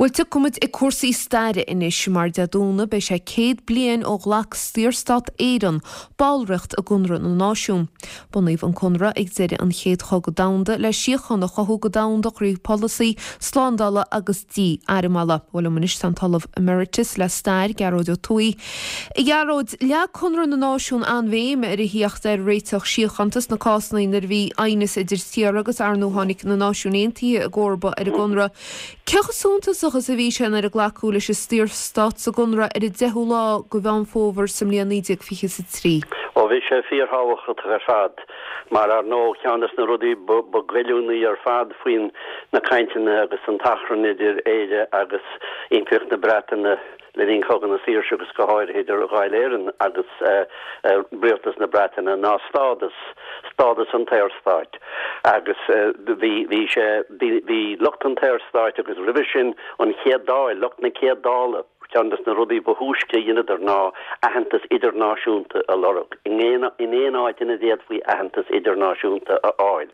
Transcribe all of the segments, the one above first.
Bhuel, tiocfaimid ag cúrsaí staire anois, mar Dé Domhnaigh beidh sé 100 bliain ó ghlac Saorstát Éireann ballraíocht i gConradh na Náisiún. Bunaíodh an Conradh ag deireadh an Chéad Chogadh Domhanda le síocháin a chothú go domhanda thrí pholasaí slándála agus dí-armála. Bhuel, liom anois tá an tOllamh Emeritus le Stair, Gearóid Ó Tuathaigh. A Ghearóid, leag Conradh na Náisiún an-bhéim ar a theacht ar réiteach síochánta sna cásanna nuair a bhí aighneas idir tíortha agus ar ndóigh tháinig na Náisiúin Aontaithe i gcomharba ar an gConradh. Cé chomh suntasach is a bhí sé nuair a glacadh leis an Saorstát sa gConradh ar an 10ú lá de Mheán Fómhair sa mbliain 1923? Ó bhí sé fíorthábhachtach ar fad, mar ar ndóigh ceann des na rudaí ba ghoilliúnaí ar fad faoin na cainteanna agus an t-achrann idir Éire agus Impireacht na Breataine le linn Chogadh na Saoirse agus go háirithe idir Dháil Éireann agus Rialtas na Breataine ná stádas, stádas an tSaorstáit. Agus bhí, bhí sé, bhí, bhí lucht an tSaorstáit agus roimhe sin an Chéad Dáil, lucht na Céad Dála, ceann des na rudaí ba thúisce a dheineadar ná aitheantas idirnáisiúnta a lorg, in aon, in aon áit ina bhféadfaí aitheantas idirnáisiúnta a fháil.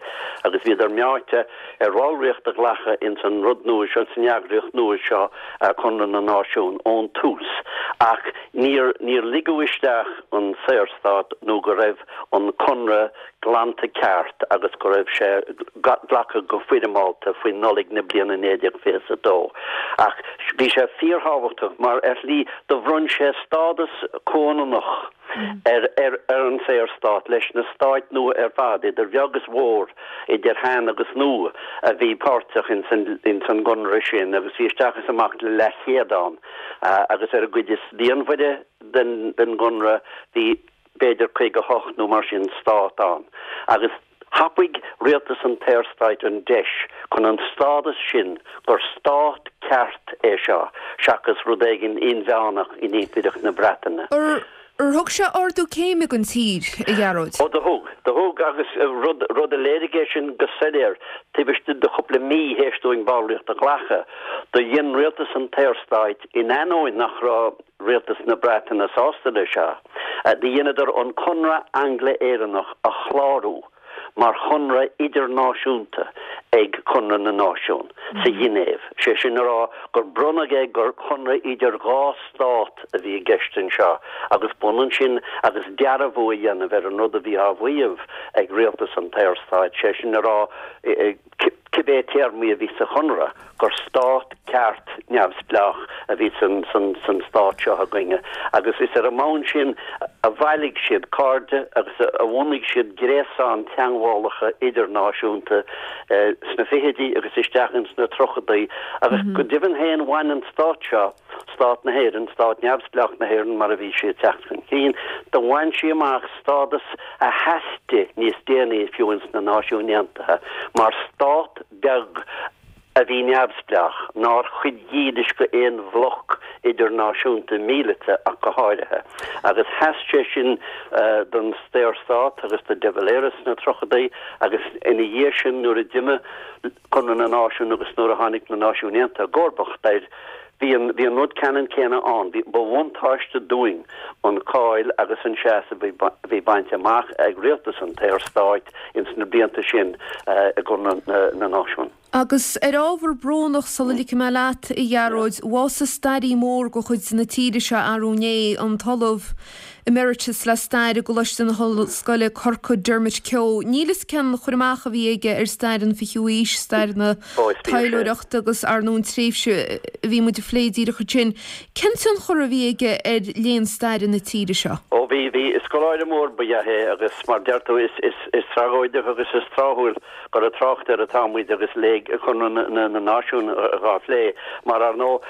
Agus bhíodar meáite ar bhallraíocht a ghlacadh ins an rud nua seo, ins an eagraíocht nua seo, Conradh na Náisiún, ón tús, ach níor, níor ligeadh isteach an Saorstát nó go raibh an Conradh glanta ceart agus go raibh sé glactha go foirmeálta faoi Nollaig na bliana 1922. Ach bhí sé fíorthábhachtach mar, ar shlí, do bhronn sé stádas comhionannach ar ar an Saorstát leis na stáit nua ar fad, idir bheag is mhór, idir shean agus nua, a bhí páirteach ins an gConradh sin, agus bhí isteach is amach le leathchéad ann, agus ar an gcuid is líonmhaire den gConradh bhí b'fhéidir 58 nó mar sin stát ann, agus. Thapaigh rialtas an tSaorstáit an deis chun an stádas sin, gur stát ceart é seo seachas rud éigin inmheánach in Impireacht na Breataine. Ar thug sé ardú céime don tír, a Ghearóid? Ó do thug. Do thug agus rud, rud a léirigh é sin go soiléir, taobh istigh de chúpla mí théis dúinn ballraíocht a ghlacadh, do dhein rialtas an tSaorstáit, in ainneoin nach raibh rialtas na Breataine sásta leis seo, do dheineadar an Conradh Angla-Éireannach a chlárú mar chonradh idirnáisiúnta ag Conradh na Náisiún sa Ghinéiv, sé sin a rá gur bronnadh é gur conradh idir dhá stát a bhí i gceist anseo agus b'ionann sin agus dearbhú a dhéanamh ar an rud a bhí á mhaíomh ag rialtas an tSaorstáit, sé sin a rá cibé téarmaí a bhí sa chonradh, gur stát ceart neamhspleách a bhí san stát seo againne agus is ar an mbonn sin a bhailigh siad cairde agus a bhunaigh siad gréasán teangmhálacha idirnáisiúnta sna fichidí agus isteach ins na tríochadaí agus go deimhin féin bhain an stát seo, Stát na hÉireann, stát neamhspleách na hÉireann mar a bhí sí ag teacht chun cinn, do bhain sí amach stádas a sheas di níos déanaí fiú ins na Náisiúin Aontaithe mar stát beag a bhí neamhspleách, nár chuid dhílis de aon bhloc idirnáisiúnta míleata ach go háirithe. Agus sheas sé sin don Saorstát agus do de Valera sna tríochadaí agus ina dhiaidh sin nuair a d'imigh Conradh na Náisiún agus nuair a tháinig na Náisiúin Aontaithe i gcomharbacht air, bhí an, bhí an rud ceannann céanna ann. Bhí, ba bhuntáiste dúinn an cáil agus an seasamh a bhí bainte amach ag rialtas an tSaorstáit ins na blianta sin i gConradh na Náisiún. Agus ar ábhar brónach sula ligfidh mé leat, a Ghearóid, bhásaigh staraí mór de chuid na tíre seo arú inné, an tOllamh Emeritus le Stair i gColáiste na hOllscoile, Corcaigh, Dermot Keogh. Níl fhios cén chur amach a bhí aige ar stair an fichiú aois, stair na taidhleoireachta agus ar ndóigh an tréimhse a bhí muid a phlé díreach ansin. Cén tionchar a bhí aige ar léann staire na tíre seo? Ó bhí, bhí, scoláire mór ba ea é agus mar deir tú is, is, is tragóideach agus is tráthúil gur ag trácht air atá muid agus léig Chonradh na Náisiún dhá phlé mar ar ndóigh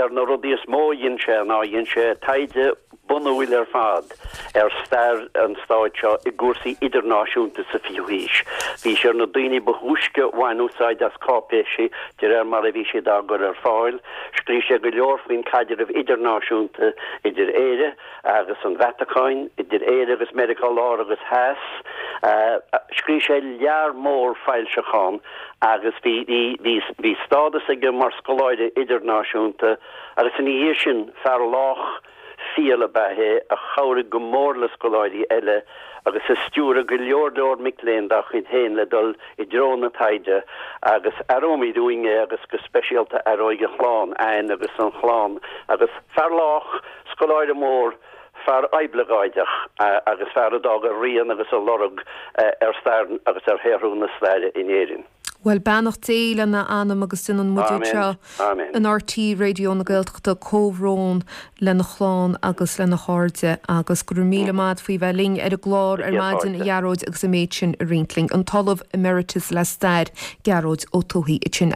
ar na rudaí is mó a dhein sé ná dhein sé taighde bunúil ar fad ar stair an stáit seo i gcúrsaí idirnáisiúnta sa fichiú haois. Bhí sé ar na daoine ba thúisce a bhain úsáid as cáipéisí de réir mar a bhí siad á gcur ar fáil. Scríobh sé go leor faoin caidreamh idirnáisiúnta idir Éire agus an Vatacáin, idir Éire agus Meiriceá Láir agus Theas. Scríobh sé lear mór foilseachán agus bhí, bhí, bhí stádas aige mar scoláire idirnáisiúnta agus ina dhiaidh sin fear lách fial ab ea é a chabhraigh go mór le scoláirí eile. agus a stiúraigh go leor leor mic léinn dá chuid féin le dul i dtreo na taighde agus aireoimid uainn é agus go speisialta aireoidh a chlann, Anne agus an chlann agus fear lách, scoláire mór, fear oibleagáideach agus fear a d'fhág a rian agus a lorg ar stair agus ar shaothrú na staire in Éirinn. Bhuel, beannacht Dé lena anam agus déanann muid anseo in RTÉ Raidió na Gaeltachta comhbhrón lena chlann agus lena chairde agus go raibh míle maith agat faoi bheith linn ar an gclár ar maidin, a Ghearóid, agus an méid sin a roinnt linn. An tOllamh Emeritus le Stair, Gearóid Ó Tuathaigh ansin.